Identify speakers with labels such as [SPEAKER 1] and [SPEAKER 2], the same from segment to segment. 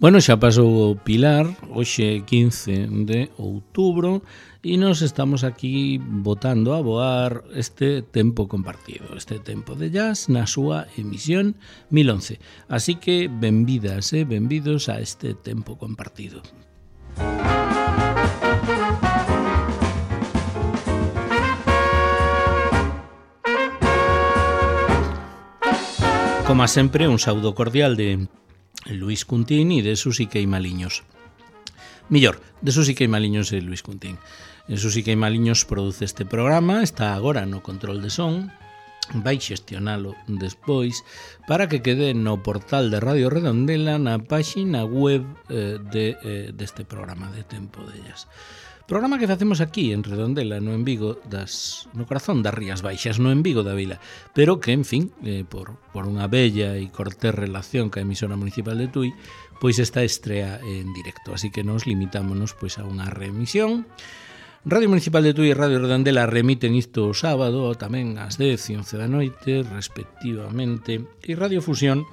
[SPEAKER 1] Bueno, xa pasou o Pilar, hoxe 15 de outubro, e nos estamos aquí botando a voar este tempo compartido, este tempo de jazz na súa emisión 1011. Así que benvidas e benvidos a este tempo compartido. Como sempre, un saúdo cordial de Luis Cuntín e de Susi Queimaliños. Millor, de Susi Queimaliños e Luis Cuntín. Susi Queimaliños produce este programa, está agora no control de son, vai xestionalo despois para que quede no portal de Radio Redondela na páxina web deste programa de Tempo de Jazz. Programa que facemos aquí en Redondela, no en Vigo, no corazón das Rías Baixas, no en Vigo da Vila, pero que, en fin, por unha bella e cortés relación ca emisora municipal de Tui, pois esta estrea en directo, así que nos limitámonos pois a unha reemisión. Radio Municipal de Tui e Radio Redondela remiten isto o sábado, tamén ás 10 e 11 da noite, respectivamente, e Radio Fusión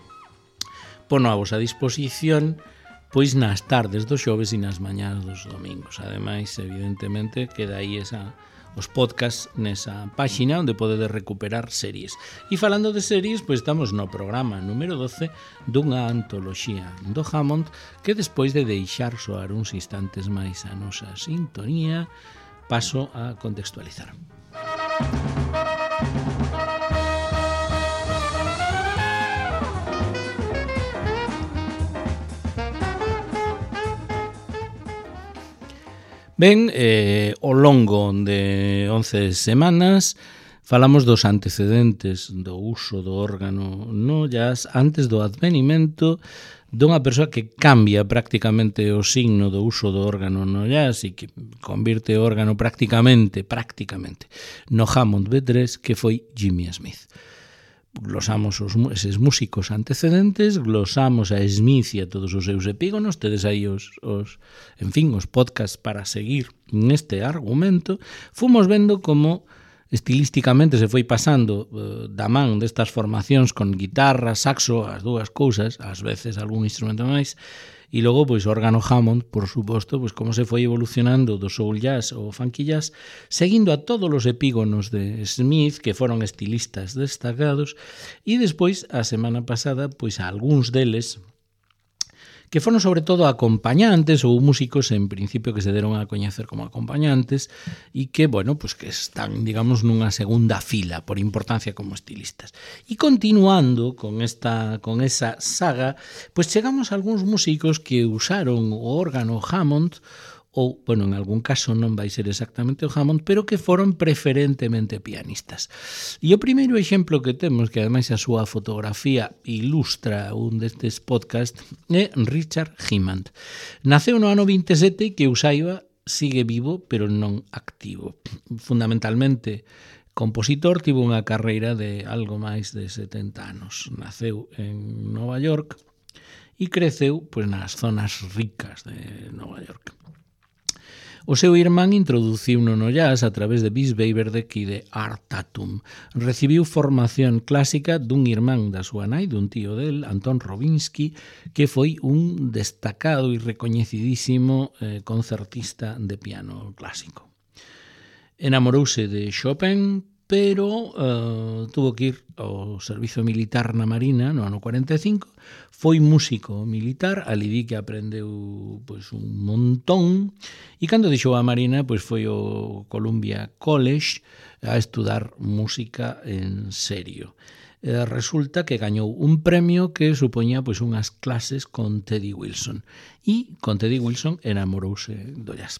[SPEAKER 1] pono a vosa disposición pois nas tardes dos xoves e nas mañás dos domingos. Ademais, evidentemente, queda aí os podcasts nesa páxina onde podedes recuperar series. E falando de series, pois estamos no programa número 12 dunha antoloxía do Hammond que despois de deixar soar uns instantes máis a nosa sintonía, paso a contextualizar. Ben, ao longo de 11 semanas falamos dos antecedentes do uso do órgano no jazz antes do advenimento dunha persoa que cambia prácticamente o signo do uso do órgano no jazz e que convirte o órgano prácticamente no Hammond B3, que foi Jimmy Smith. Glosamos eses músicos antecedentes, glosamos a Smith e a todos os seus epígonos, tedes aí os podcasts para seguir neste argumento. Fomos vendo como estilísticamente se foi pasando da man destas formacións con guitarra, saxo, as dúas cousas, ás veces algún instrumento máis, e logo, pois, órgano Hammond, por suposto, pois, como se foi evolucionando do soul jazz ao funky jazz, seguindo a todos os epígonos de Smith, que foron estilistas destacados, e despois, a semana pasada, pois, a algúns deles, que foron sobre todo acompañantes ou músicos en principio que se deron a coñecer como acompañantes e que, bueno, pues que están, digamos, nunha segunda fila por importancia como estilistas. E continuando con esa saga, pues chegamos a algúns músicos que usaron o órgano Hammond ou, bueno, en algún caso non vai ser exactamente o Hammond, pero que foron preferentemente pianistas. E o primeiro exemplo que temos, que ademais a súa fotografía ilustra un destes podcast, é Richard Hymand. Naceu no ano 27 e que eu saiba sigue vivo, pero non activo. Fundamentalmente compositor, tivo unha carreira de algo máis de 70 anos. Naceu en Nova York e creceu pois, nas zonas ricas de Nova York. O seu irmán introduciuno no jazz a través de Bis Beiderbecke e de Art Tatum. Recibiu formación clásica dun irmán da súa nai, dun tío del, Anton Robinsky, que foi un destacado e recoñecidísimo concertista de piano clásico. Enamorouse de Chopin, pero tuvo que ir ao servizo militar na Marina no ano 45, foi músico militar, ali di que aprendeu pois, un montón, e cando deixou a Marina pois, foi ao Columbia College a estudar música en serio. Resulta que gañou un premio que supoñía pois, unhas clases con Teddy Wilson, e con Teddy Wilson enamorouse do jazz.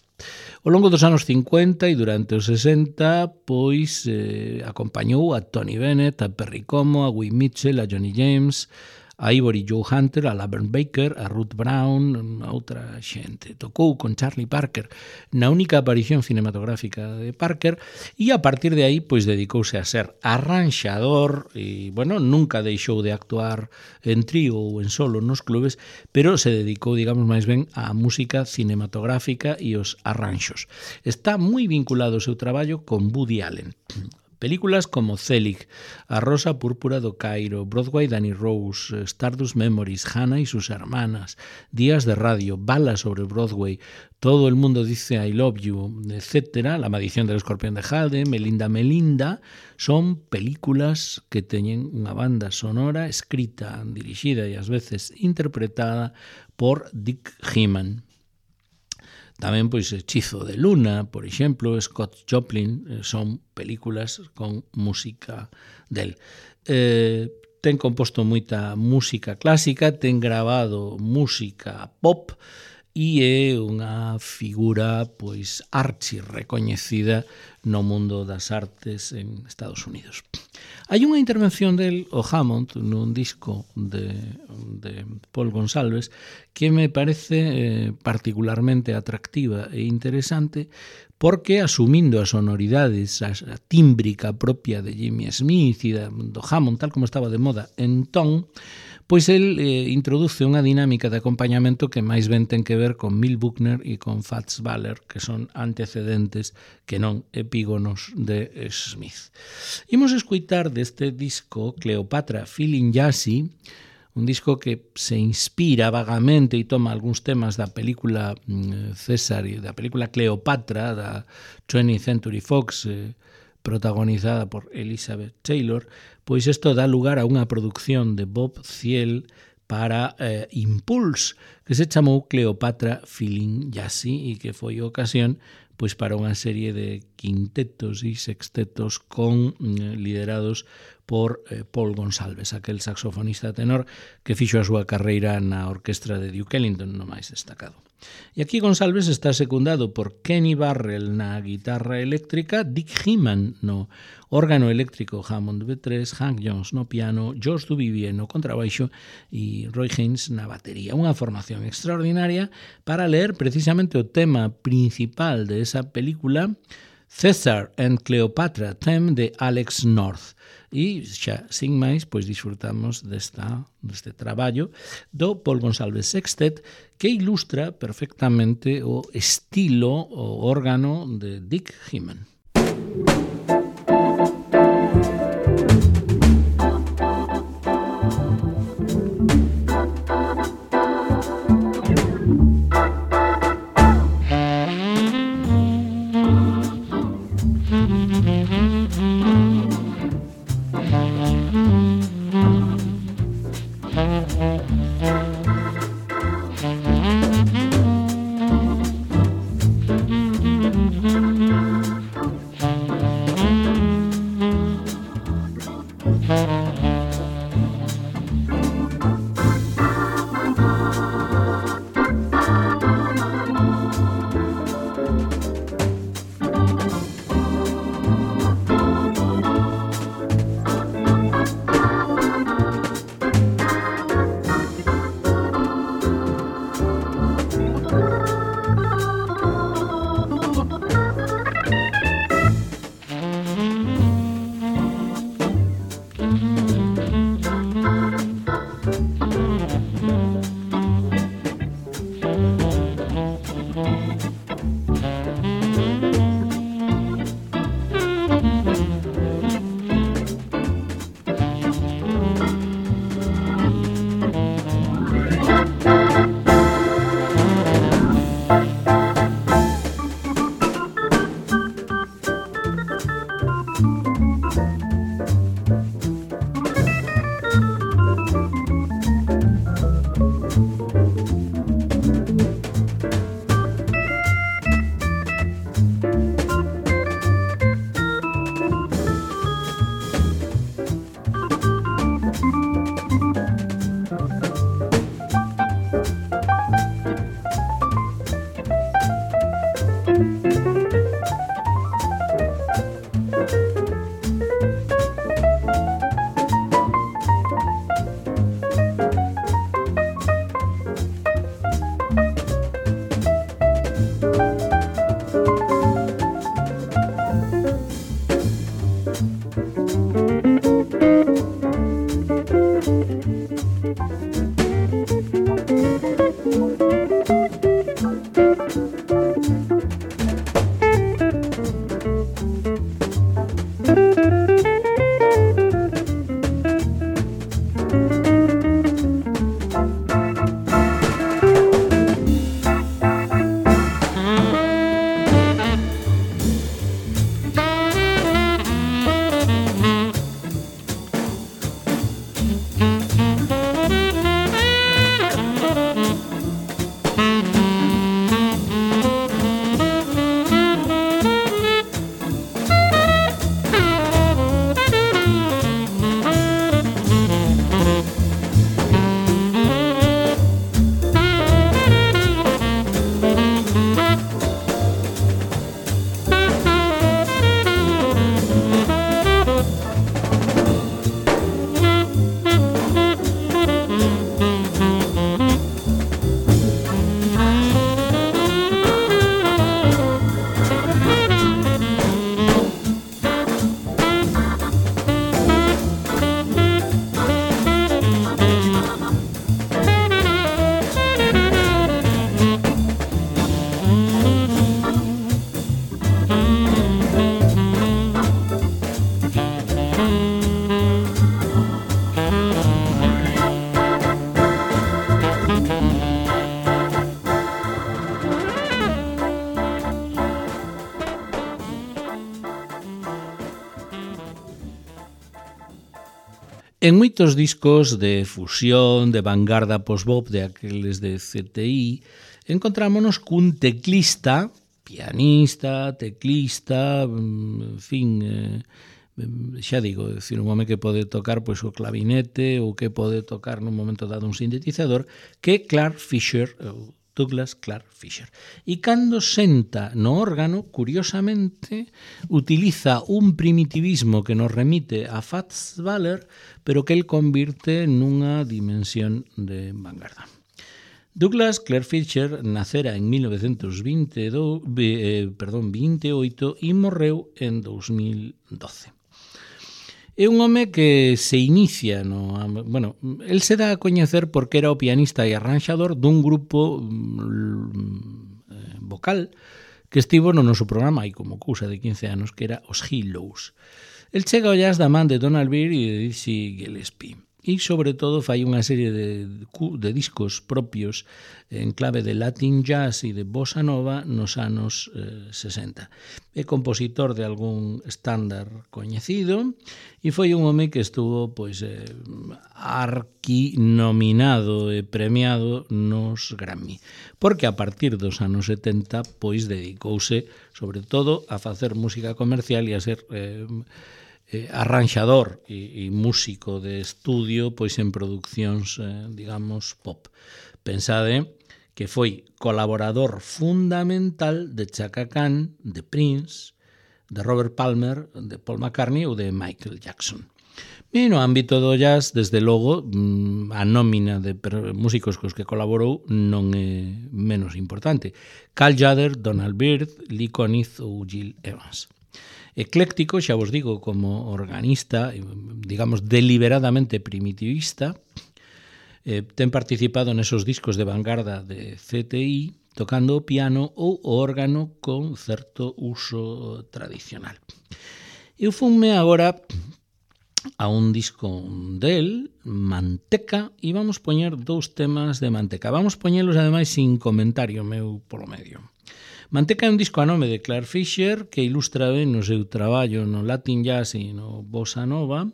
[SPEAKER 1] Ao longo dos anos 50 e durante os 60 pois acompañou a Tony Bennett, a Perry Como, a Wee Mitchell, a Johnny James, a Ivory Joe Hunter, a Laverne Baker, a Ruth Brown, a outra xente. Tocou con Charlie Parker na única aparición cinematográfica de Parker e a partir de aí pois dedicouse a ser arranxador e, bueno, nunca deixou de actuar en trío ou en solo nos clubes, pero se dedicou, digamos, máis ben á música cinematográfica e os arranxos. Está moi vinculado o seu traballo con Woody Allen. Películas como Zelig, A Rosa Púrpura do Cairo, Broadway Danny Rose, Stardust Memories, Hannah y sus hermanas, Días de radio, Balas sobre Broadway, Todo el mundo dice I love you, etc. La maldición del escorpión de Jade, Melinda Melinda, son películas que teñen unha banda sonora escrita, dirixida e ás veces interpretada por Dick Hyman. Tamén, pois, Hechizo de Luna, por exemplo, Scott Joplin, son películas con música del. Ten composto moita música clásica, ten grabado música pop e é unha figura, pois, archi recoñecida no mundo das artes en Estados Unidos. Hai unha intervención del o Hammond nun disco de Paul Gonsalves que me parece particularmente atractiva e interesante porque asumindo as sonoridades, a tímbrica propia de Jimmy Smith e do Hammond, tal como estaba de moda entón, pois el introduce unha dinámica de acompañamento que máis ben ten que ver con Mel Buckner e con Fats Waller, que son antecedentes que non epígonos de Smith. Imos escoitar deste disco Cleopatra Feeling Jazzy, un disco que se inspira vagamente e toma algúns temas da película César e da película Cleopatra da 20th Century Fox, protagonizada por Elizabeth Taylor, pois isto dá lugar a unha produción de Bob Thiel para Impulse, que se chamou Cleopatra Feeling Jazzy e que foi ocasión pois para unha serie de quintetos e sextetos liderados por Paul Gonsalves, aquel saxofonista tenor que fixo a súa carreira na orquestra de Duke Ellington, no máis destacado. E aquí Gonsalves está secundado por Kenny Barrell na guitarra eléctrica, Dick Hyman no órgano eléctrico Hammond B3, Hank Jones no piano, George Duvivier no contrabaixo e Roy Haynes na batería. Unha formación extraordinaria para leer precisamente o tema principal de esa película, César and Cleopatra, theme de Alex North. E xa, sin máis, pois disfrutamos deste traballo do Paul Gonsalves Sextet que ilustra perfectamente o estilo, o órgano de Dick Hyman. En moitos discos de fusión, de vanguarda post-bop, de aqueles de CTI, encontrámonos cun teclista, pianista, teclista, en fin, xa digo, decir, un home que pode tocar pois, o clavinete ou que pode tocar nun momento dado un sintetizador, que Clark Fisher, Douglas Clark Fisher. E cando senta no órgano, curiosamente, utiliza un primitivismo que nos remite a Fats Waller, pero que el convirte nunha dimensión de vanguarda. Douglas Clark Fisher nacera en 1928 e morreu en 2012. É un home que se inicia el se dá a coñecer porque era o pianista e arranxador dun grupo vocal que estivo no noso programa hai como cousa de 15 anos, que era os Hillows. El chega ao jazz da man de Donald Byrd e de Dizzy Gillespie. E, sobre todo, fai unha serie de discos propios en clave de Latin jazz e de bossa nova nos anos 60. É compositor de algún estándar coñecido e foi un home que estuvo arquinominado e premiado nos Grammy, porque a partir dos anos 70 dedicouse, sobre todo, a facer música comercial e a ser arranxador e músico de estudio en produccións, digamos, pop. Pensade que foi colaborador fundamental de Chaka Khan, de Prince, de Robert Palmer, de Paul McCartney ou de Michael Jackson. E no ámbito do jazz, desde logo, a nómina de músicos cos que colaborou non é menos importante. Cal Tjader, Donald Byrd, Lee Konitz ou Gil Evans. Ecléctico, xa vos digo, como organista, digamos, deliberadamente primitivista, ten participado nesos discos de vanguarda de CTI, tocando o piano ou o órgano con certo uso tradicional. Eu funme agora a un disco del, Manteca, e vamos poñer dous temas de Manteca. Vamos poñelos, ademais, sin comentario meu polo medio. Manteca é un disco a nome de Clark Fisher que ilustra ben no seu traballo no Latin Jazz e no Bossa Nova.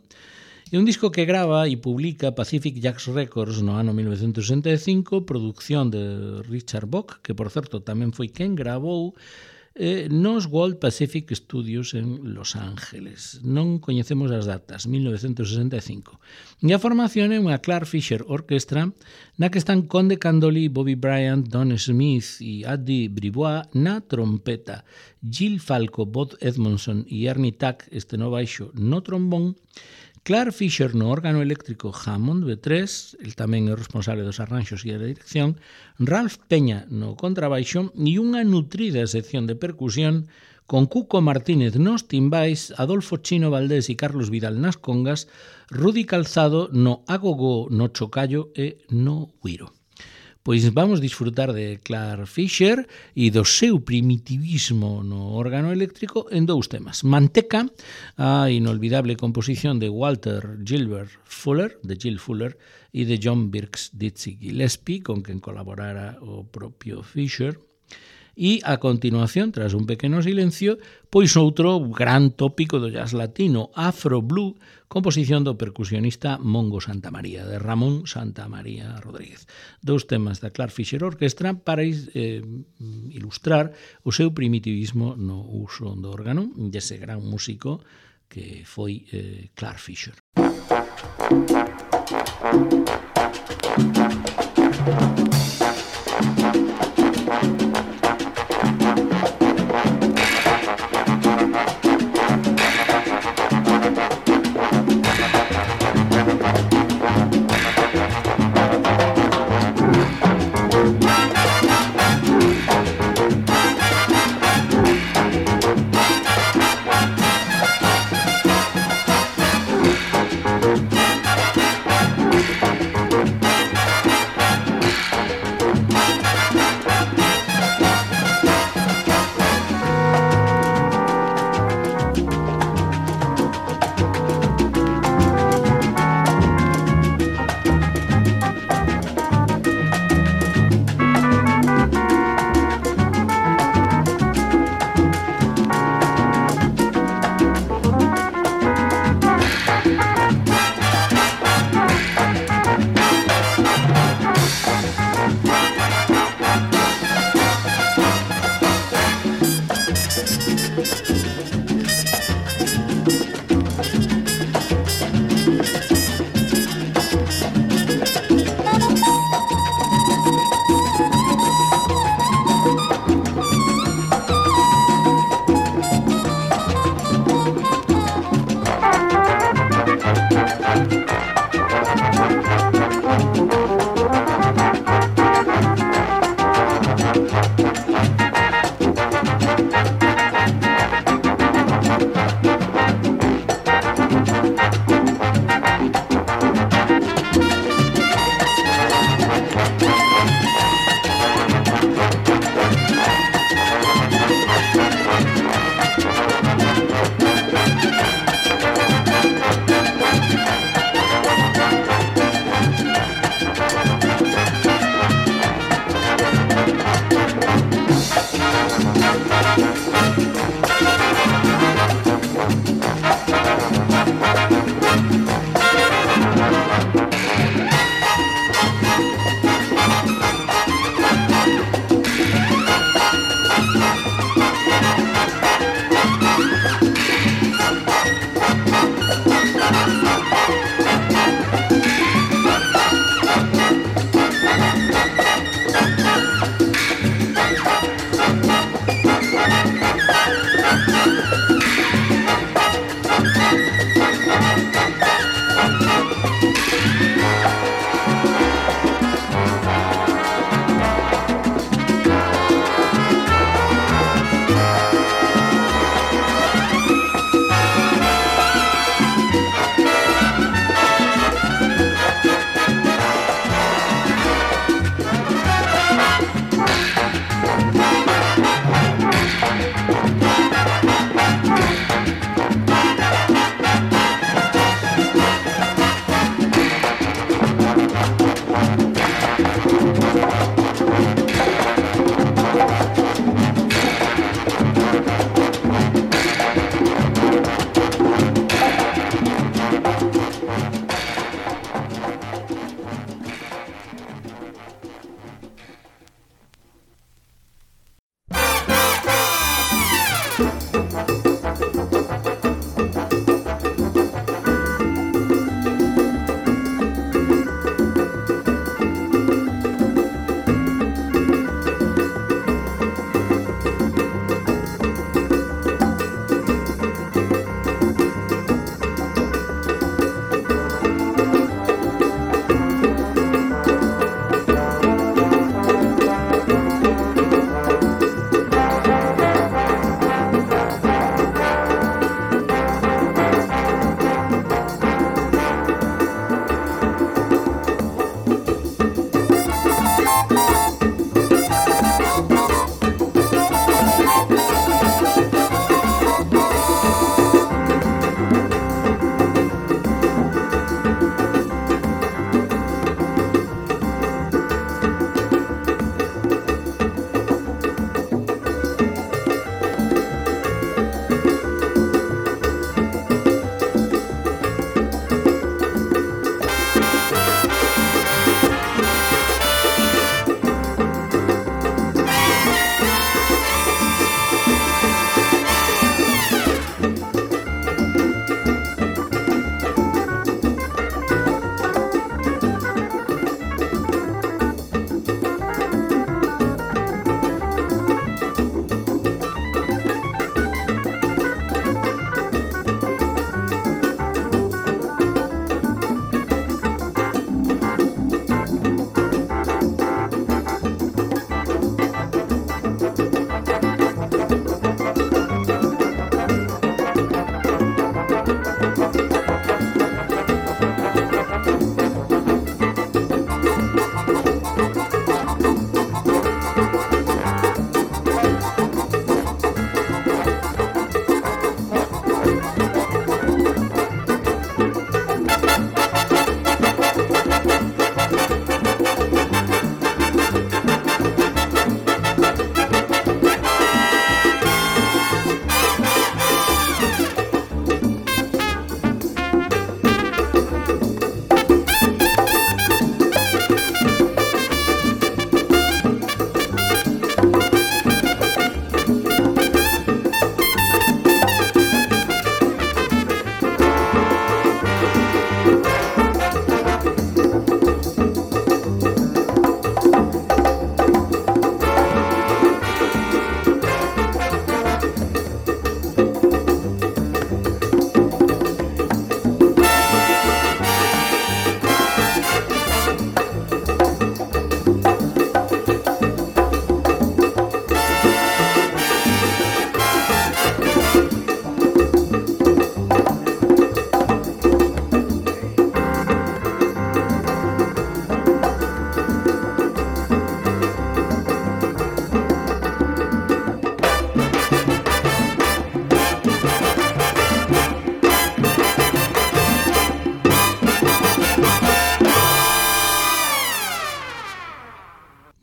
[SPEAKER 1] É un disco que grava e publica Pacific Jazz Records no ano 1965, producción de Richard Bock, que, por certo, tamén foi quen gravou nos World Pacific Studios en Los Ángeles. Non coñecemos as datas, 1965. E a formación é unha Clark Fisher Orchestra na que están Conde Candoli, Bobby Bryant, Don Smith e Addy Bribois na trompeta, Gil Falco, Bud Edmondson e Ernie Tack, no baixo, no trombón, Clark Fisher no órgano eléctrico Hammond B3, el tamén é responsable dos arranxos e da dirección, Ralph Peña no contrabaixo e unha nutrida sección de percusión con Cuco Martínez nos timbais, Adolfo Chino Valdés e Carlos Vidal nas congas, Rudy Calzado no agogó, no chocallo e no güiro. Pois vamos disfrutar de Clark Fisher e do seu primitivismo no órgano eléctrico en dous temas. Manteca, a inolvidable composición de Walter Gilbert Fuller, de Gil Fuller, e de John Birks Dizzy Gillespie, con quen colaborara o propio Fisher. E, a continuación, tras un pequeno silencio, pois outro gran tópico do jazz latino, Afro Blue, composición do percusionista Mongo Santamaría, de Ramón Santamaría Rodríguez. Dous temas da Clark Fisher Orchestra para ilustrar o seu primitivismo no uso do órgano, dese gran músico que foi Clark Fisher.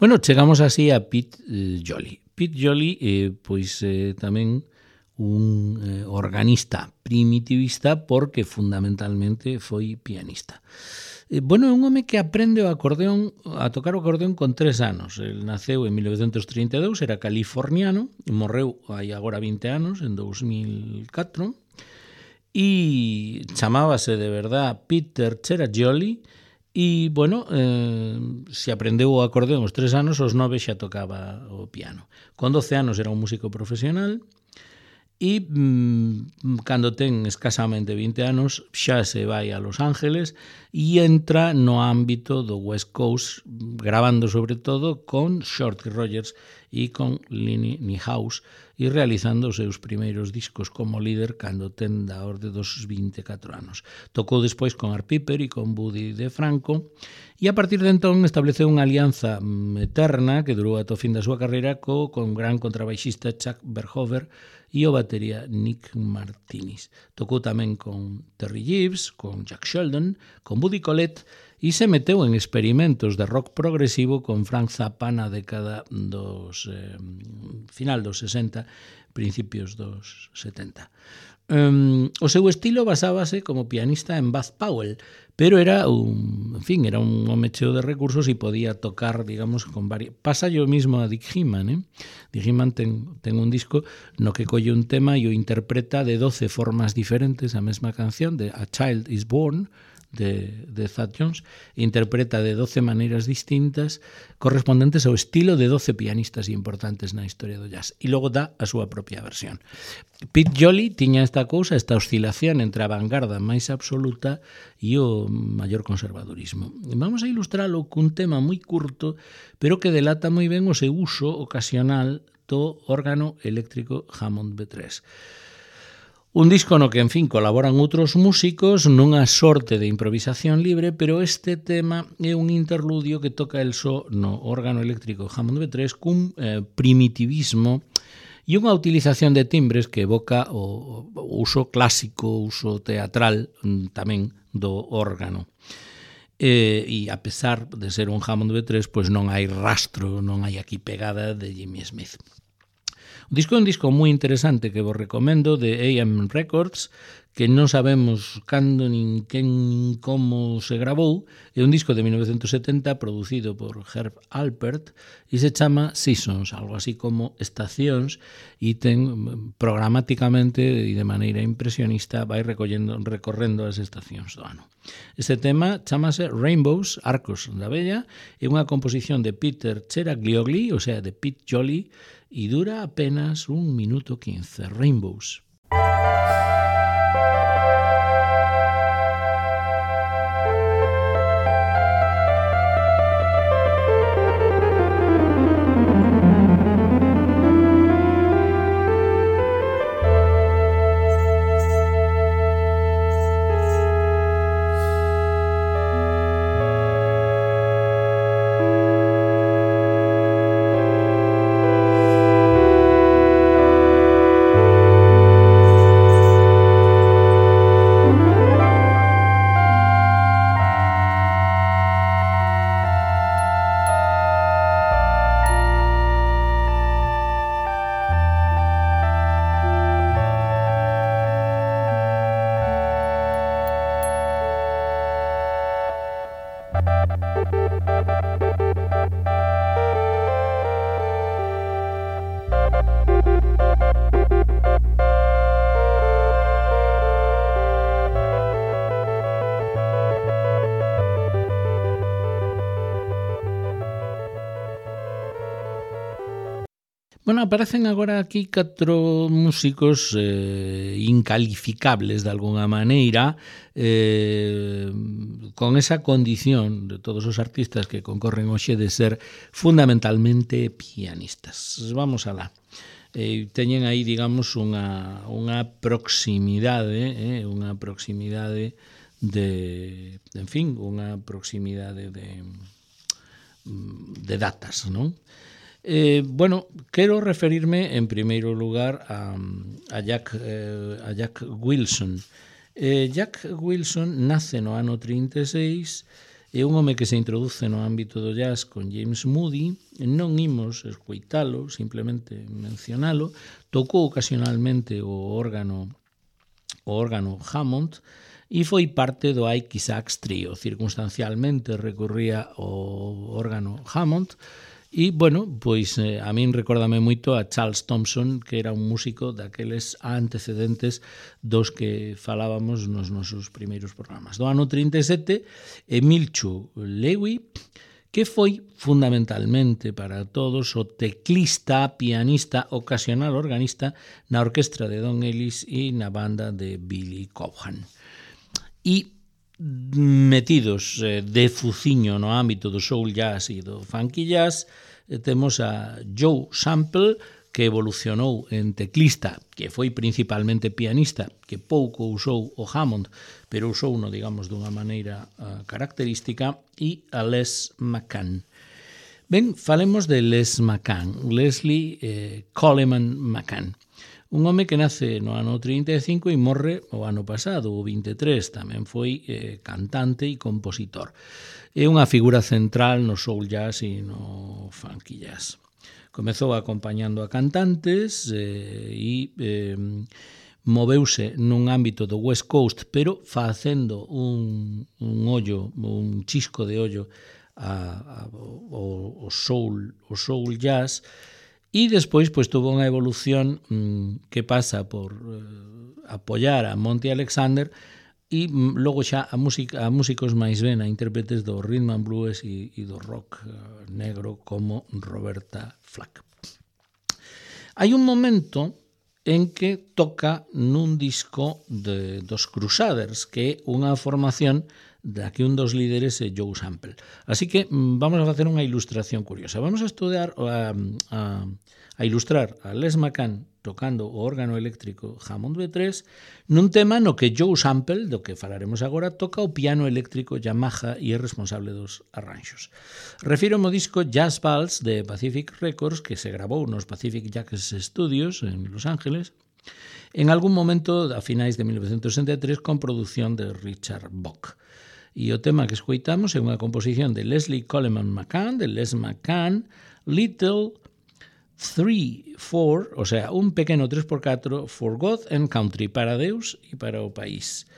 [SPEAKER 1] Bueno, chegamos así a Pete Jolly. Pete Jolly, pois tamén un organista primitivista porque fundamentalmente foi pianista. Bueno, é un home que aprende a tocar o acordeón con 3 anos. El naceu en 1932, era californiano, morreu hai agora 20 anos, en 2004, e chamábase de verdad Peter Cerajoli. E, bueno, se aprendeu o acordeón aos 3 anos, aos 9 xa tocaba o piano. Con 12 anos era un músico profesional e cando ten escasamente 20 anos xa se vai a Los Ángeles e entra no ámbito do West Coast, grabando sobre todo con Shorty Rogers e con Lenny Niehaus e realizando os seus primeiros discos como líder cando ten da orde dos 24 anos. Tocou despois con Art Piper e con Buddy DeFranco e a partir de entón estableceu unha alianza eterna que durou ata o fin da súa carreira con gran contrabaixista Chuck Berhofer e o batería Nick Martinez. Tocou tamén con Terry Gibbs, con Jack Sheldon, con Buddy Collette e se meteu en experimentos de rock progresivo con Frank Zappa na década dos final dos 60, principios dos 70. O seu estilo basábase como pianista en Bud Powell, pero era un home cheo de recursos e podía tocar, digamos, con varios. Pasa yo mismo a Dick Hyman, Dick Hyman ten un disco no que colle un tema e o interpreta de 12 formas diferentes, a mesma canción de A Child is Born, de Thad Jones, interpreta de 12 maneiras distintas correspondentes ao estilo de 12 pianistas importantes na historia do jazz, e logo dá a súa propia versión. Pete Jolly tiña esta oscilación entre a vanguarda máis absoluta e o maior conservadurismo. Vamos a ilustralo cun tema moi curto, pero que delata moi ben o seu uso ocasional do órgano eléctrico Hammond B3. Un disco no que, en fin, colaboran outros músicos nunha sorte de improvisación libre, pero este tema é un interludio que toca el só no órgano eléctrico Hammond B3 cun primitivismo e unha utilización de timbres que evoca o uso clásico, o uso teatral tamén do órgano. E a pesar de ser un Hammond B3, pois non hai rastro, non hai aquí pegada de Jimmy Smith. O disco é un disco moi interesante que vos recomendo, de AM Records, que non sabemos cando, nin quen, nin como se gravou. É un disco de 1970 producido por Herb Alpert e se chama Seasons, algo así como estacións, e ten programáticamente e de maneira impresionista vai recorrendo as estacións do ano. Este tema chamase Rainbows, Arcos da Bella, é unha composición de Peter Ceragliogli, o sea, de Pete Jolly, e dura apenas 1 minuto 15. Rainbows. Bueno, aparecen agora aquí 4 músicos incalificables de alguna maneira, con esa condición de todos os artistas que concorren hoxe de ser fundamentalmente pianistas. Vamos alá. Teñen aí, digamos, unha proximidade, de, en fin, unha proximidade de datas, non? Bueno, quero referirme en primeiro lugar a Jack Wilson. Jack Wilson nace no ano 36 é un home que se introduce no ámbito do jazz con James Moody, non imos escoitalo, simplemente mencionalo, tocou ocasionalmente o órgano Hammond e foi parte do Ike Isaacs Trio. Circunstancialmente recorría ao órgano Hammond e, bueno, pois a min recórdame moito a Charles Thompson, que era un músico daqueles antecedentes dos que falábamos nos nosos primeiros programas. Do ano 37, Emilchu Lewy, que foi fundamentalmente para todos o teclista, pianista, ocasional organista na orquestra de Don Ellis e na banda de Billy Cobham. E metidos de fuciño no ámbito do soul jazz e do funky jazz, temos a Joe Sample, que evolucionou en teclista, que foi principalmente pianista, que pouco usou o Hammond, pero usou no, digamos, dunha maneira característica, e a Les McCann. Ben, falemos de Les McCann, Leslie Coleman McCann. Un home que nace no ano 35 e morre o ano pasado, o 23, tamén foi cantante e compositor. É unha figura central no soul jazz e no funky jazz. Comezou acompañando a cantantes e moveuse nun ámbito do West Coast, pero facendo un ollo, un chisco de ollo ao soul jazz. E despois pois tuvo unha evolución que pasa por apoiar a Monty Alexander e logo xa a músicos máis ben, a intérpretes do rhythm and blues e do rock negro como Roberta Flack. Hai un momento en que toca nun disco dos Crusaders, que é unha formación da que un dos líderes é Joe Sample. Así que vamos a facer unha ilustración curiosa. Vamos a estudar a ilustrar a Les McCann tocando o órgano eléctrico Hammond B3 nun tema no que Joe Sample, do que falaremos agora, toca o piano eléctrico Yamaha e é responsable dos arranxos. Refiro ao disco Jazz Vals de Pacific Records, que se grabou nos Pacific Jazz Studios en Los Ángeles en algún momento a finais de 1963 con produción de Richard Bock. E o tema que escoitamos é unha composición de Leslie Coleman McCann, de Les McCann, Little 3-4, o sea, un pequeno 3x4 for God and Country, para Deus e para o país.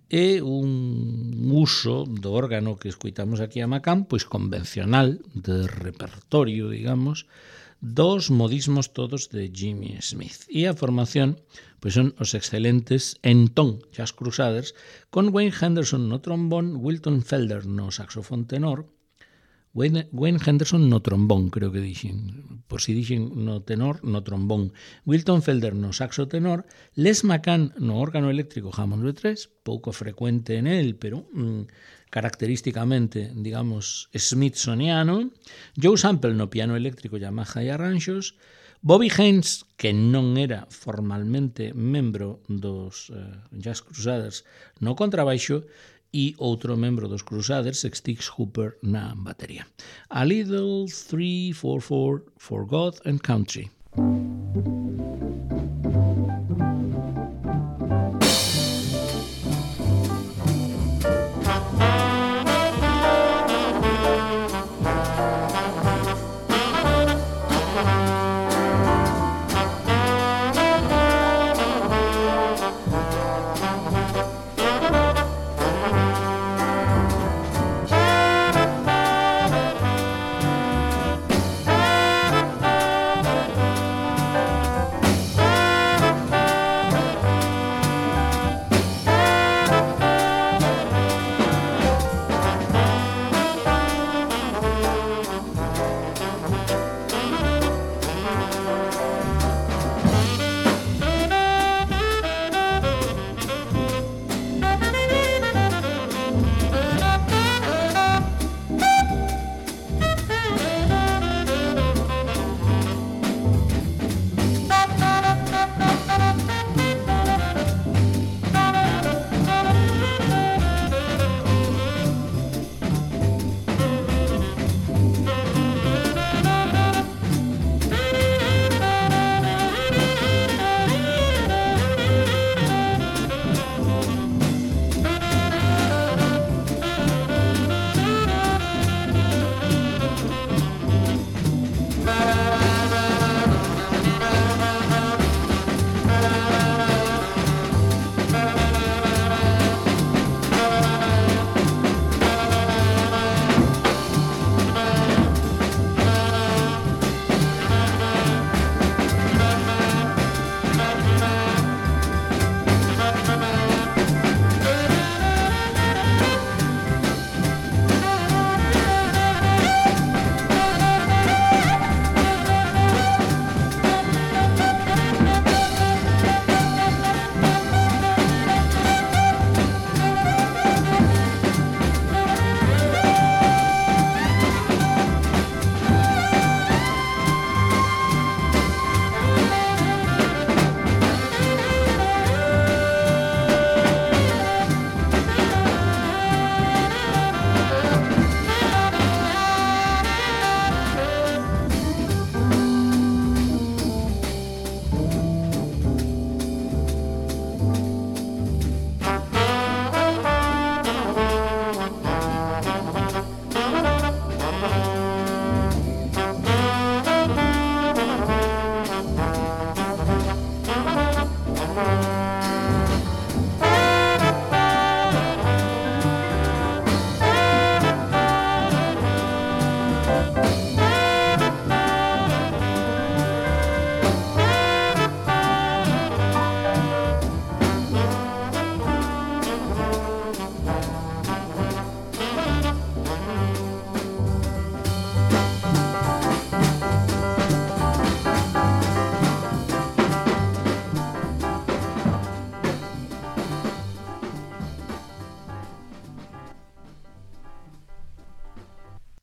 [SPEAKER 1] É un uso do órgano que escoitamos aquí a McCann, pois convencional, de repertorio, digamos, dos modismos todos de Jimmy Smith. E a formación pois son os excelentes Entón Jazz Crusaders, con Wayne Henderson no trombón, Wilton Felder no saxofón tenor, Wayne Henderson no trombón, creo que dixen, por si dixen no tenor, no trombón, Wilton Felder no saxo tenor, Les McCann no órgano eléctrico Hammond B3, pouco frecuente en él, pero característicamente, digamos, smithsoniano, Joe Sample no piano eléctrico Yamaha e arranxos, Bobby Haynes, que non era formalmente membro dos Jazz Crusaders no contrabaixo, e outro membro dos Crusaders, Stix Hooper, na batería. A Little 3-4-4 for God and Country.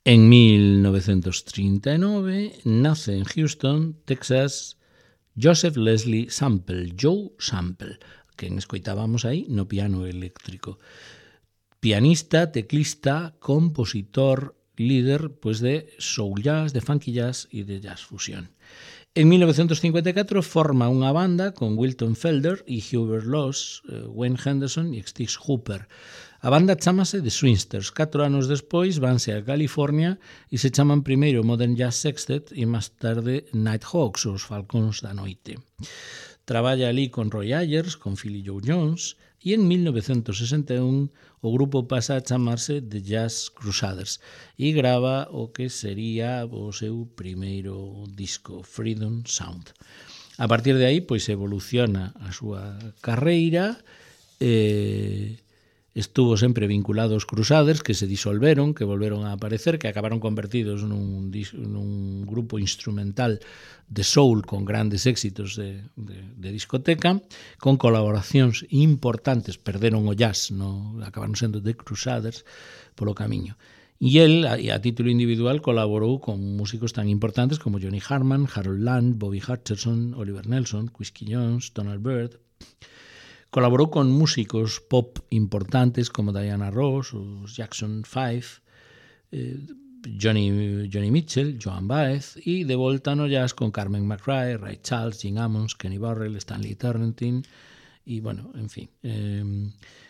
[SPEAKER 1] En 1939 nace en Houston, Texas, Joseph Leslie Sample, Joe Sample, quen escoitábamos aí no piano eléctrico. Pianista, teclista, compositor, líder pues, de soul jazz, de funky jazz e de jazz fusión. En 1954 forma unha banda con Wilton Felder e Hubert Laws, Wayne Henderson e Stix Hooper. A banda chamase The Swingsters. 4 anos despois vanse a California e se chaman primeiro Modern Jazz Sextet e máis tarde Nighthawks, os Falcóns da Noite. Traballa ali con Roy Ayers, con Philly Joe Jones e en 1961 o grupo pasa a chamarse The Jazz Crusaders e grava o que sería o seu primeiro disco, Freedom Sound. A partir de aí, pois, evoluciona a súa carreira, estuvo sempre vinculado aos Crusaders, que se disolveron, que volveron a aparecer, que acabaron convertidos nun grupo instrumental de soul con grandes éxitos de discoteca, con colaboracións importantes, perderon o jazz, acabaron sendo The Crusaders polo camiño. E el, a título individual, colaborou con músicos tan importantes como Johnny Hartman, Harold Land, Bobby Hutcherson, Oliver Nelson, Quincy Jones, Donald Byrd. Colaborou con músicos pop importantes como Diana Ross, os Jackson 5, Johnny Mitchell, Joan Baez e de volta no jazz con Carmen McRae, Ray Charles, Gene Ammons, Kenny Burrell, Stanley Turrentine e, bueno, en fin.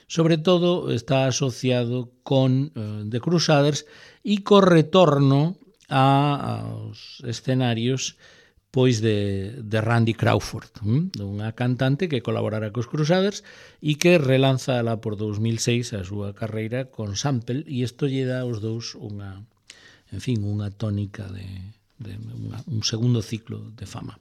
[SPEAKER 1] Sobre todo está asociado con The Crusaders e co retorno aos escenarios pois de Randy Crawford, unha cantante que colaborara cos Crusaders e que relanza lá por 2006 a súa carreira con Sample e isto lle dá aos dous unha tónica un segundo ciclo de fama.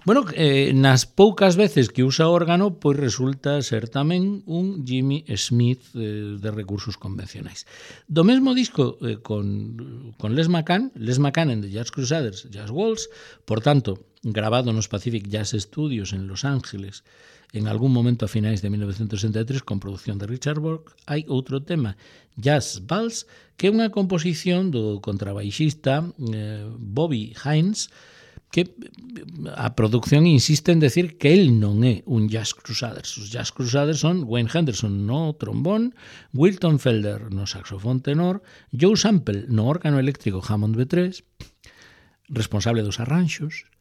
[SPEAKER 1] Bueno, nas poucas veces que usa órgano, pois resulta ser tamén un Jimmy Smith de recursos convencionais. Do mesmo disco con Les McCann en The Jazz Crusaders, Jazz Waltz, por tanto, grabado nos Pacific Jazz Studios en Los Ángeles en algún momento a finais de 1963 con produción de Richard Bork, hai outro tema, Jazz Waltz, que é unha composición do contrabaixista Bobby Haynes, que a produción insiste en decir que el non é un Jazz Crusaders. Os Jazz Crusaders son Wayne Henderson no trombón, Wilton Felder no saxofón tenor, Joe Sample no órgano eléctrico Hammond B3, responsable dos arranxos.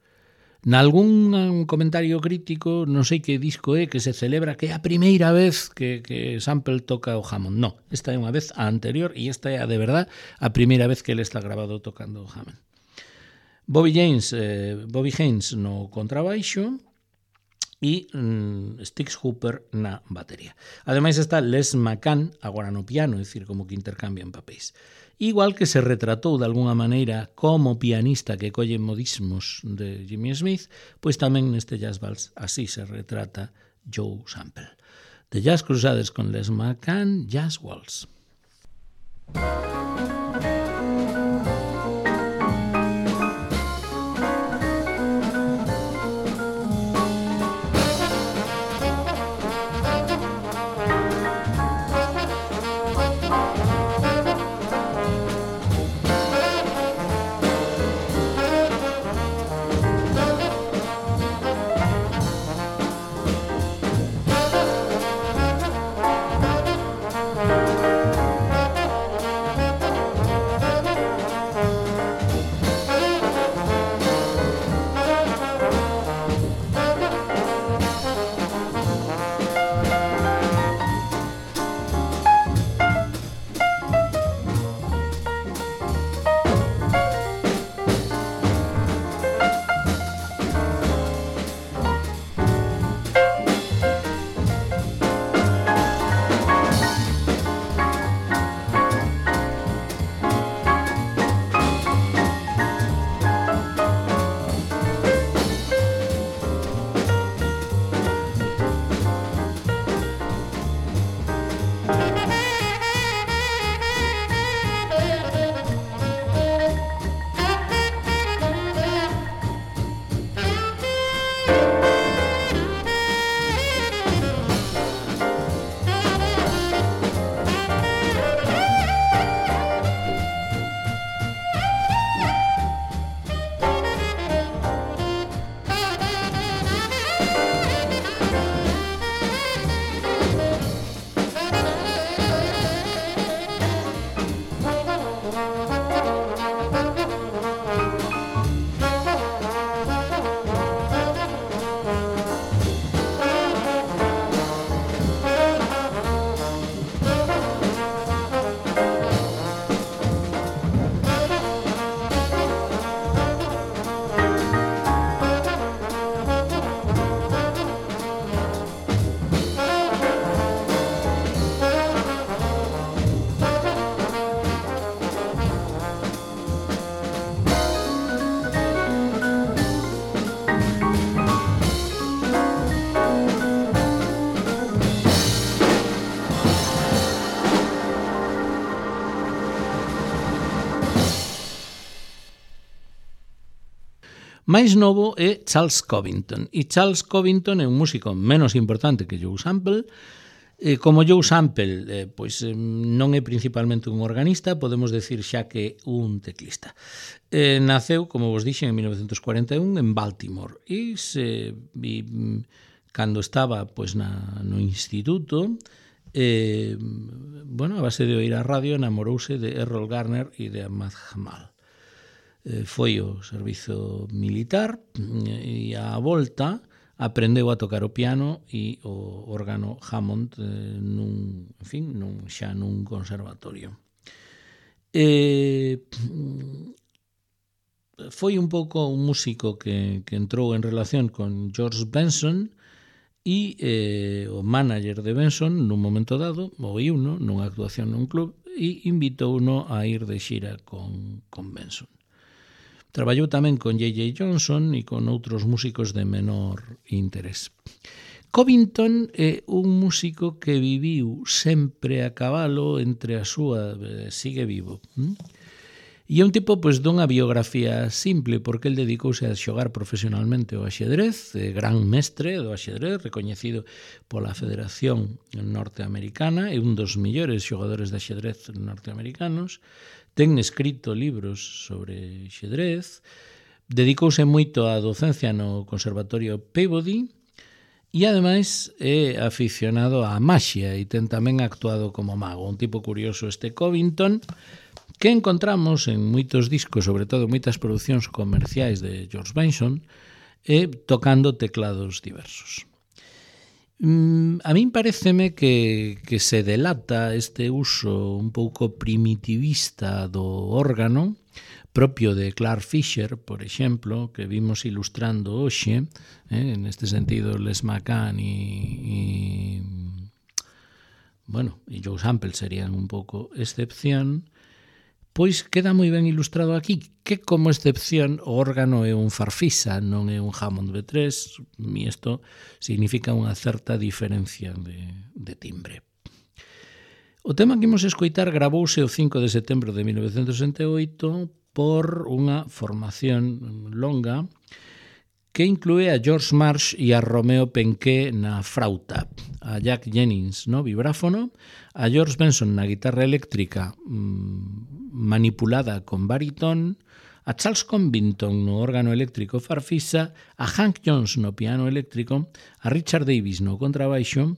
[SPEAKER 1] Nalgún comentario crítico, non sei que disco é, que se celebra que é a primeira vez que Sample toca o Hammond. No, esta é unha vez a anterior e esta é a de verdad a primeira vez que ele está grabado tocando o Hammond. Bobby Haynes no contrabaixo e Stix Hooper na batería. Ademais está Les McCann agora no piano, é dicir, como que intercambian papéis. Igual que se retratou de alguna maneira como pianista que colle modismos de Jimmy Smith, pois tamén neste Jazz Waltz así se retrata Joe Sample. The Jazz Crusaders con Les McCann, Jazz Waltz. máis novo é Charles Covington, e Charles Covington é un músico menos importante que Joe Sample. Como Joe Sample pois non é principalmente un organista, podemos decir xa que un teclista. Naceu, como vos dixen, en 1941 en Baltimore, e cando estaba pois no instituto, a base de oír a radio, enamorouse de Errol Garner e de Ahmad Jamal. Foi ao servizo militar e á volta aprendeu a tocar o piano e o órgano Hammond xa nun conservatorio. Foi un pouco un músico que entrou en relación con George Benson e o manager de Benson nun momento dado oíuno nunha actuación nun club e invitouno a ir de xira con Benson. Traballou tamén con J.J. Johnson e con outros músicos de menor interés. Covington é un músico que viviu sempre a cabalo entre a súa... sigue vivo. E é un tipo dunha biografía simple, porque el dedicouse a xogar profesionalmente o axedrez, gran mestre do axedrez, recoñecido pola Federación Norteamericana, é un dos mellores xogadores de axedrez norteamericanos. Ten escrito libros sobre xedrez, dedicouse moito á docencia no Conservatorio Peabody e, ademais, é aficionado á maxia e ten tamén actuado como mago. Un tipo curioso este Covington, que encontramos en moitos discos, sobre todo en moitas producións comerciais de George Benson, tocando teclados diversos. A min pareceme que se delata este uso un pouco primitivista do órgano, propio de Clark Fisher, por exemplo, que vimos ilustrando hoxe, en este sentido Les McCann e Joe Sample serían un pouco excepción, pois queda moi ben ilustrado aquí que, como excepción, o órgano é un farfisa, non é un Hammond B3, e isto significa unha certa diferencia de timbre. O tema que imos escoitar gravouse o 5 de setembro de 1968 por unha formación longa que inclúe a George Marsh e a Romeo Penqué na frauta, a Jack Jennings no vibráfono, a George Benson na guitarra eléctrica manipulada con baritón, a Charles Covington no órgano eléctrico farfisa, a Hank Jones no piano eléctrico, a Richard Davis no contrabaixo,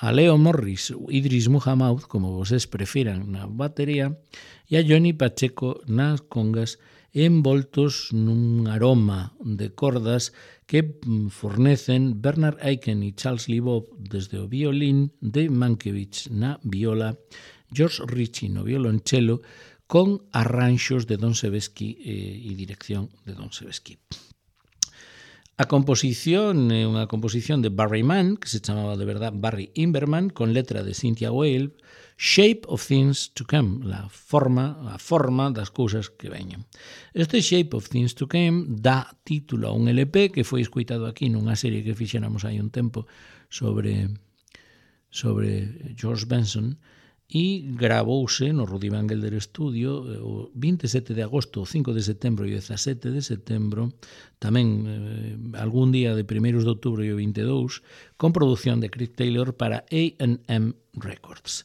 [SPEAKER 1] a Leo Morris, Idris Muhammad, como vocês prefiran, na batería, e a Johnny Pacheco nas congas, envoltos nun aroma de cordas que fornecen Bernard Aiken e Charles Leboeuf desde o violín, Dave Mankiewicz na viola, George Ritchie no violonchelo, con arranxos de Don Sebesky e dirección de Don Sebesky. A composición é unha composición de Barry Mann, que se chamaba de verdad Barry Inverman, con letra de Cynthia Weil, Shape of Things to Come, a forma das cousas que veñen. Este Shape of Things to Come dá título a un LP que foi escoitado aquí nunha serie que fixéramos hai un tempo sobre George Benson, e gravouse no Rudy Van Gelder Studio o 27 de agosto, o 5 de setembro e o 17 de setembro, tamén algún día de 1 de outubro e o 22, con produción de Craig Taylor para A&M Records.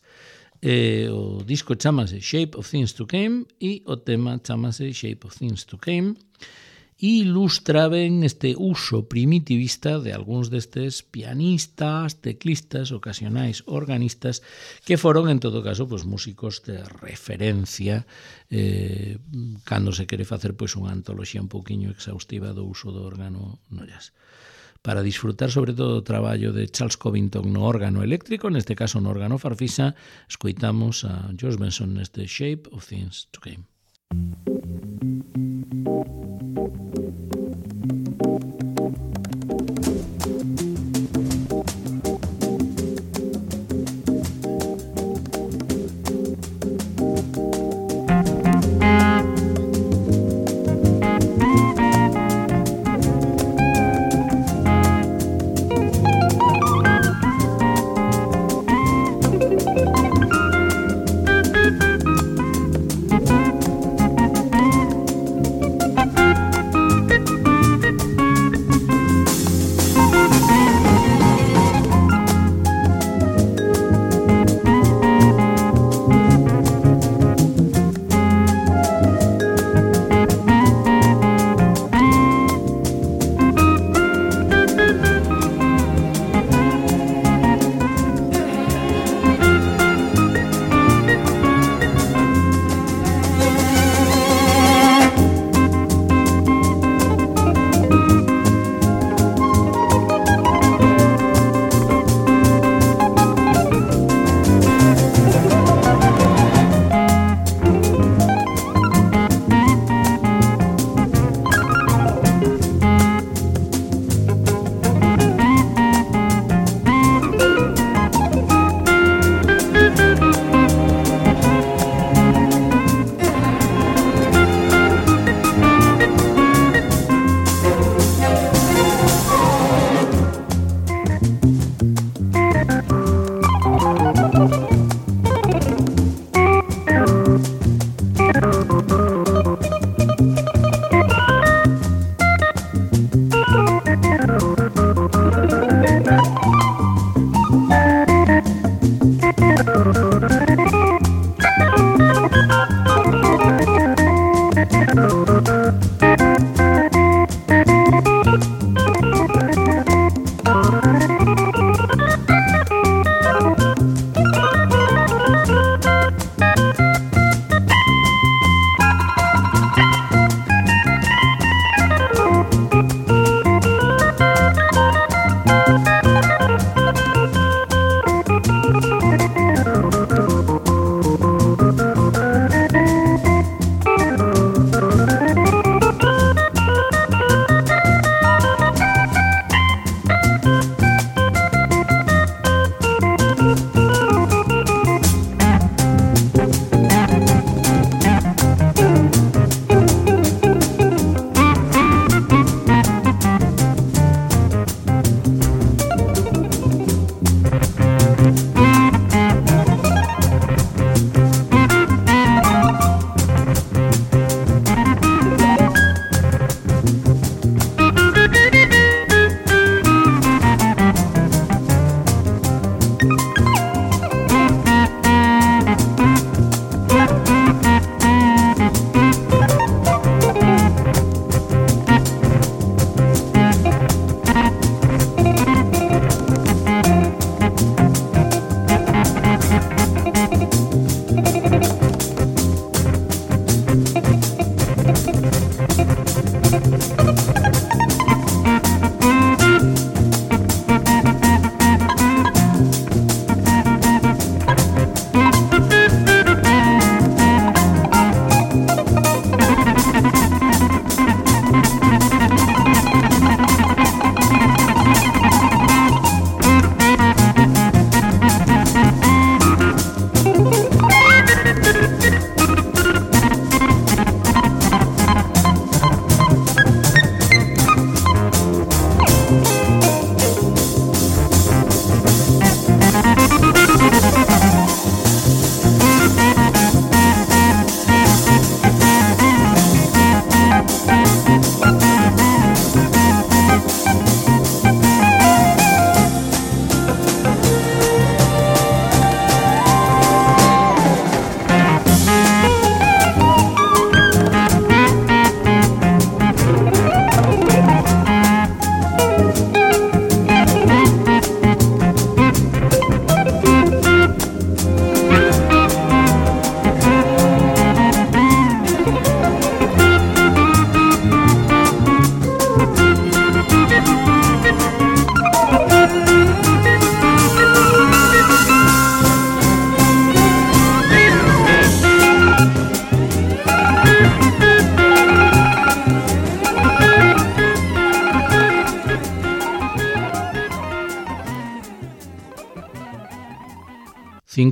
[SPEAKER 1] O disco chamase Shape of Things to Come e o tema chamase Shape of Things to Come, e ilustra ben este uso primitivista de algúns destes pianistas, teclistas, ocasionais organistas, que foron, en todo caso, músicos de referencia cando se quere facer unha antoloxía un pouquiño exhaustiva do uso do órgano no jazz. Para disfrutar sobre todo o traballo de Charles Covington no órgano eléctrico, neste caso no órgano farfisa, escoitamos a George Benson neste Shape of Things to Come.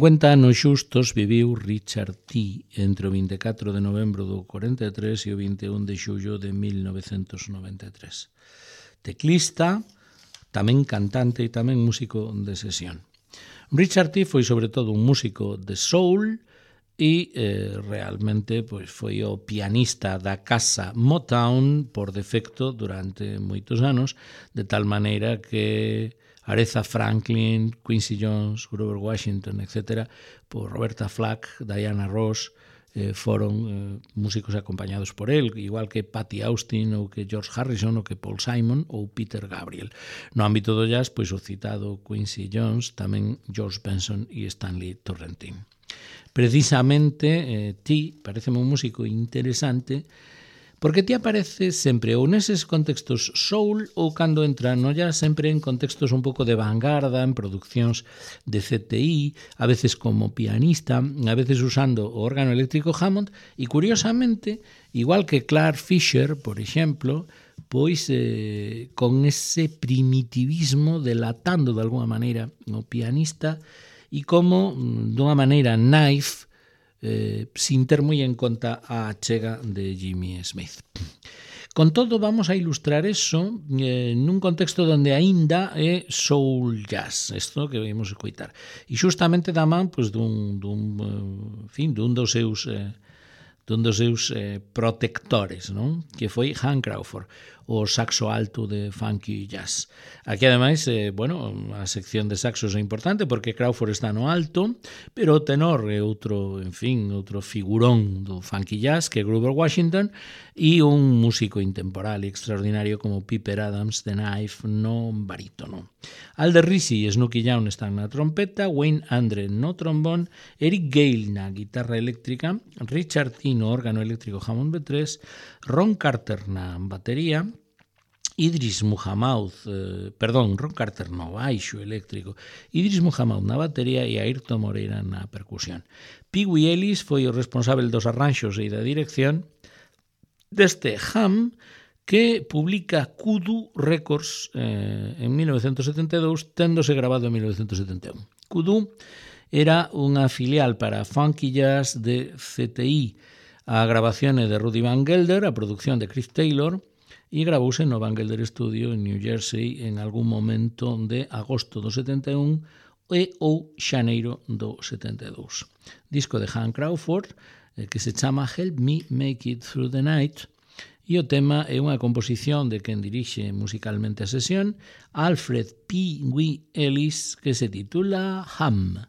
[SPEAKER 1] 50 anos xustos viviu Richard Tee entre o 24 de novembro do 43 e o 21 de xullo de 1993. Teclista, tamén cantante e tamén músico de sesión. Richard Tee foi sobre todo un músico de soul e realmente pois, foi o pianista da casa Motown por defecto durante moitos anos, de tal maneira que Aretha Franklin, Quincy Jones, Grover Washington, etc., por Roberta Flack, Diana Ross, foron músicos acompañados por él, igual que Patti Austin, ou que George Harrison, ou que Paul Simon, ou Peter Gabriel. No ámbito do jazz, pois o citado Quincy Jones, tamén George Benson e Stanley Turrentine. Precisamente, ti pareceme un músico interesante, porque ti aparece sempre ou neses contextos soul ou cando entra no jazz sempre en contextos un pouco de vanguarda, en produccións de CTI, a veces como pianista, a veces usando o órgano eléctrico Hammond e curiosamente, igual que Clark Fisher, por exemplo, pois con ese primitivismo delatando de alguma maneira o pianista e como dunha maneira naif sin ter moi en conta a achega de Jimmy Smith. Con todo, vamos a ilustrar eso nun contexto onde aínda é soul jazz, isto que vimos escoitar. E xustamente da man pois, dun dos seus protectores, non? Que foi Hank Crawford. o saxo alto de funky jazz. Aquí, ademais, bueno, a sección de saxos é importante porque Crawford está no alto, pero o tenor é outro, en fin, outro figurón do funky jazz, que é Grover Washington, e un músico intemporal e extraordinario como Piper Adams, The Knife, no barítono. Alder Rizzi e Snooky Young están na trompeta, Wayne Andre no trombón, Eric Gale na guitarra eléctrica, Richard T no órgano eléctrico Hammond B3, Ron Carter na batería, Idris Muhammad, Ron Carter no baixo eléctrico, Idris Muhammad na batería e Ayrton Moreira na percusión. Pee Wee Ellis foi o responsável dos arranxos e da dirección deste Ham, que publica Kudu Records en 1972, téndose grabado en 1971. Kudu era unha filial para Funky Jazz de CTI. A grabación é de Rudy Van Gelder, a producción de Chris Taylor, e gravouse no Van Gelder Studio en New Jersey en algún momento de agosto do 71 e ou xaneiro do 72. Disco de Hank Crawford que se chama Help Me Make It Through the Night, e o tema é unha composición de quen dirixe musicalmente a sesión, Alfred P. Wee Ellis, que se titula Ham.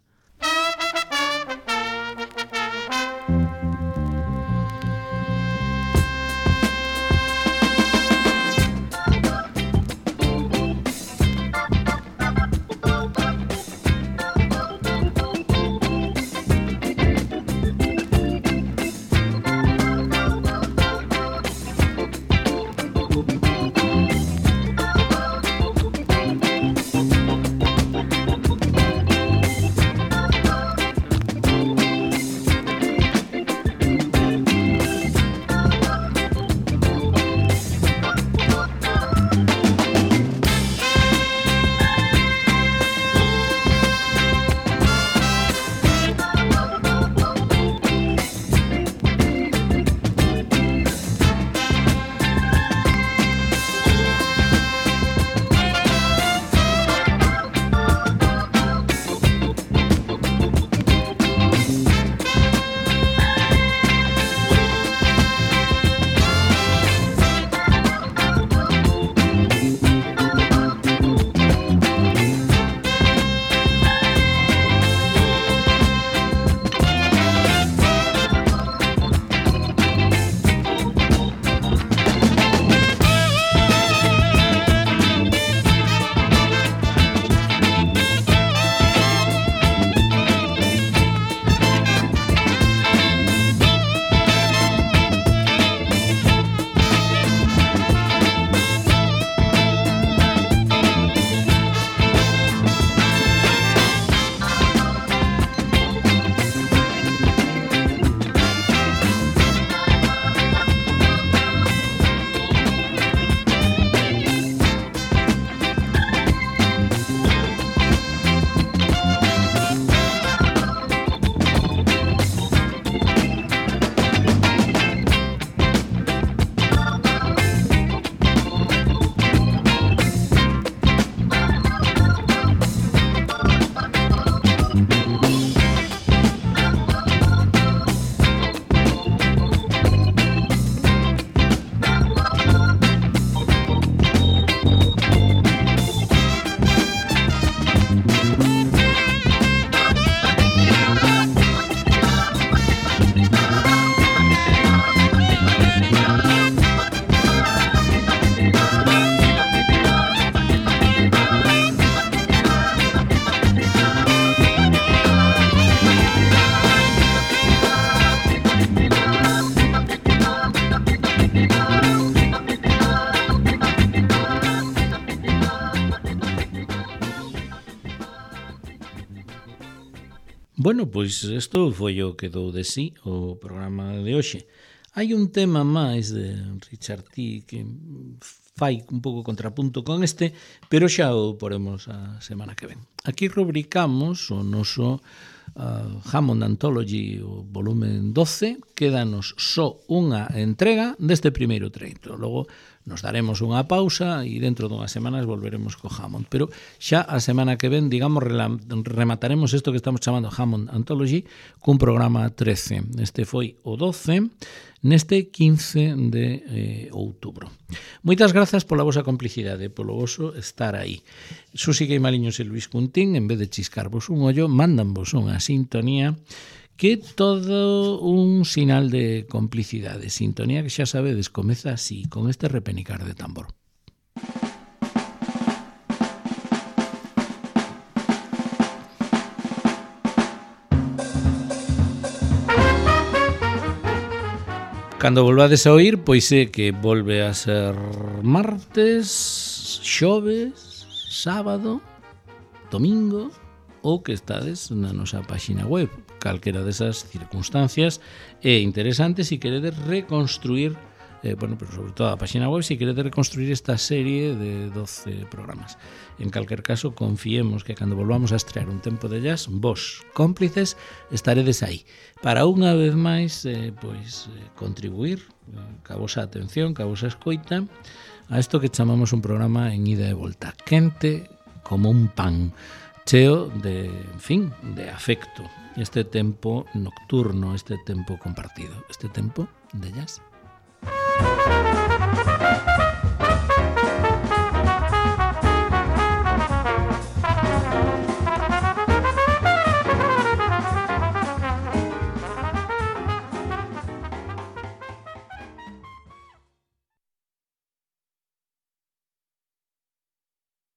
[SPEAKER 1] Bueno, pois isto foi o que dou de sí o programa de hoxe. Hai un tema máis de Richard T que fai un pouco contrapunto con este, pero xa o poremos a semana que ven. Aquí rubricamos o noso Hammond Anthology, o volumen 12, quédanos só unha entrega deste primeiro treito. Logo nos daremos unha pausa e dentro dunhas semanas volveremos co Hammond. Pero xa a semana que ven, digamos, remataremos isto que estamos chamando Hammond Anthology cun programa 13. Este foi o 12. neste 15 de outubro. Moitas grazas pola vosa complicidade, polo voso estar aí. Susi Queimaliños e Luis Cuntín, en vez de chiscarvos un ollo, mandanvos unha sintonía que é todo un sinal de complicidade. Sintonía que xa sabedes, comeza así, con este repenicar de tambor. Cando volvades a oír, pois é que volve a ser martes, xoves, sábado, domingo, ou que estades na nosa páxina web. Calquera desas circunstancias é interesante se queredes reconstruir, pero sobre todo a páxina web, se queredes reconstruir esta serie de 12 programas. En calquer caso, confiemos que cando volvamos a estrear un tempo de jazz, vos, cómplices, estaredes aí para unha vez máis contribuir ca vosa atención, ca vosa escoita a isto que chamamos un programa en ida e volta, quente como un pan, cheo de, en fin, de afecto, este tempo nocturno, este tempo compartido, este tempo de jazz.